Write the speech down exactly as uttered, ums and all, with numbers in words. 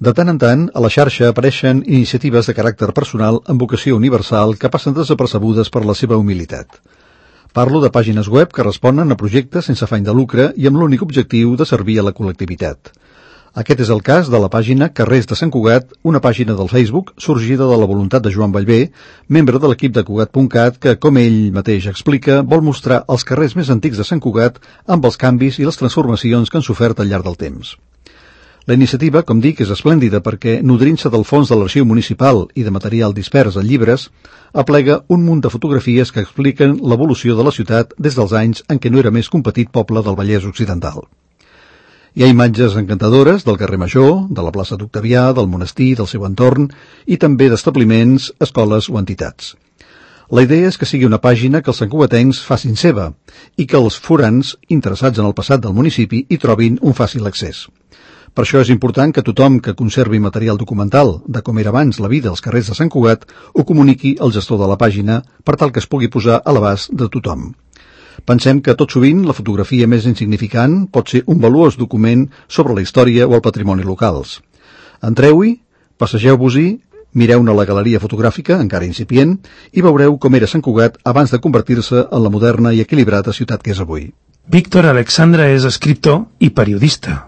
De tant en tant, a la xarxa apareixen iniciatives de caràcter personal amb vocació universal que passen desapercebudes per la seva humilitat. Parlo de pàgines web que responen a projectes sense afany de lucre i amb l'únic objectiu de servir a la col·lectivitat. Aquest és el cas de la pàgina Carrers de Sant Cugat, una pàgina del Facebook sorgida de la voluntat de Joan Vallvé, membre de l'equip de Cugat punt cat, que, com ell mateix explica, vol mostrar els carrers més antics de Sant Cugat amb els canvis i les transformacions que han sofert al llarg del temps. La iniciativa, com dic, és esplèndida perquè, nodrint-se del fons de l'arxiu municipal i de material dispers en llibres, aplega un munt de fotografies que expliquen l'evolució de la ciutat des dels anys en què no era més que un petit poble del Vallès Occidental. Hi ha imatges encantadores del carrer Major, de la plaça d'Octavià, del monestir, del seu entorn, i també d'establiments, escoles o entitats. La idea és que sigui una pàgina que els santcugatencs facin seva i que els forans, interessats en el passat del municipi, hi trobin un fàcil accés. Per això és important que tothom que conservi material documental de com era abans la vida als carrers de Sant Cugat ho comuniqui al gestor de la pàgina per tal que es pugui posar a l'abast de tothom. Pensem que tot sovint la fotografia més insignificant pot ser un valuós document sobre la història o el patrimoni locals. Entreu-hi, passegeu-vos-hi, mireu-ne la galeria fotogràfica, encara incipient, i veureu com era Sant Cugat abans de convertir-se en la moderna i equilibrada ciutat que és avui. Víctor Alexandra és escriptor i periodista.